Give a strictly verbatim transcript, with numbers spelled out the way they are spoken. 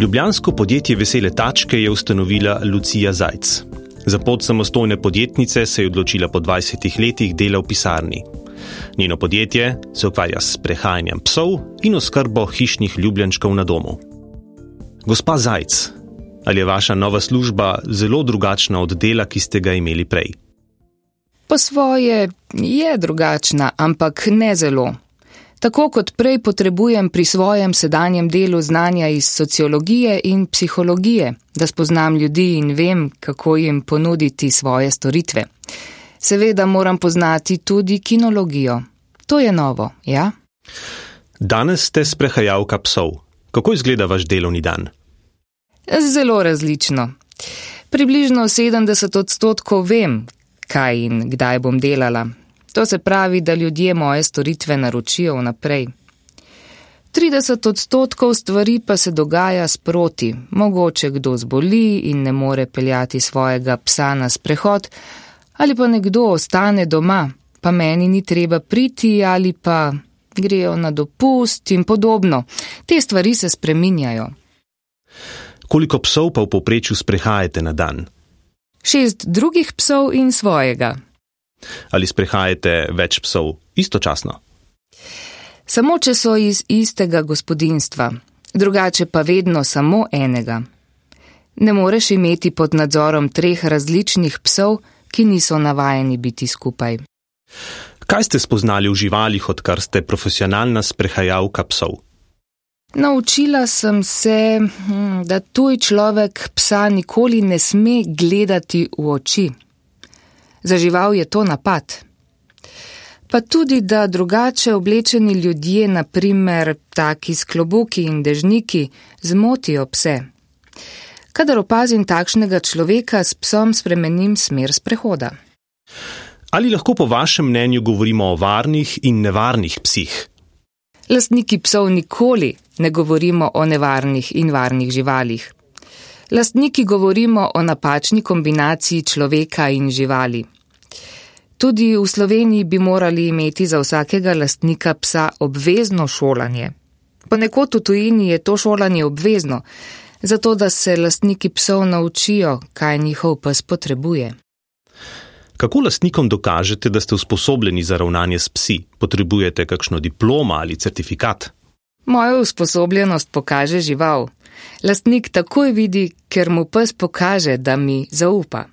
Ljubljansko podjetje Vesele tačke je ustanovila Lucija Zajc. Za pot samostojne podjetnice se je odločila po dvajsetih letih dela v pisarni. Njeno podjetje se ukvarja s prehajanjem psov in oskrbo hišnih ljubljenčkov na domu. Gospa Zajc, ali je vaša nova služba zelo drugačna od dela, ki ste ga imeli prej? Po svoje je drugačna, ampak ne zelo. Tako kot prej potrebujem pri svojem sedanjem delu znanja iz sociologije in psihologije, da spoznam ljudi in vem, kako jim ponuditi svoje storitve. Seveda moram poznati tudi kinologijo. To je novo, ja? Danes ste sprehajalka psov. Kako izgleda vaš delovni dan? Zelo različno. Približno sedemdeset odstotkov vem, kaj in kdaj bom delala. To se pravi, da ljudje moje storitve naročijo vnaprej. trideset odstotkov stvari pa se dogaja sproti. Mogoče kdo zboli in ne more peljati svojega psa na sprehod, ali pa nekdo ostane doma, pa meni ni treba priti, ali pa grejo na dopust in podobno. Te stvari se spreminjajo. Koliko psov pa v povprečju sprehajate na dan? Šest drugih psov in svojega. Ali sprehajate več psov istočasno? Samo, če so iz istega gospodinjstva, drugače pa vedno samo enega. Ne moreš imeti pod nadzorom treh različnih psov, ki niso navajeni biti skupaj. Kaj ste spoznali v živalih, odkar ste profesionalna sprehajalka psov? Naučila sem se, da tuj človek psa nikoli ne sme gledati v oči. Za žival je to napad. Pa tudi, da drugače oblečeni ljudje, na primer taki s klobuki in dežniki, zmotijo pse. Kadar opazim takšnega človeka, s psom spremenim smer sprehoda. Ali lahko po vašem mnenju govorimo o varnih in nevarnih psih? Lastniki psov nikoli ne govorimo o nevarnih in varnih živalih. Lastniki govorimo o napačni kombinaciji človeka in živali. Tudi v Sloveniji bi morali imeti za vsakega lastnika psa obvezno šolanje. Ponekod v tujini je to šolanje obvezno, zato da se lastniki psov naučijo, kaj njihov pes potrebuje. Kako lastnikom dokažete, da ste usposobljeni za ravnanje s psi? Potrebujete kakšno diplomo ali certifikat? Mojo usposobljenost pokaže žival. Lastnik takoj vidi, ker mu pes pokaže, da mi zaupa.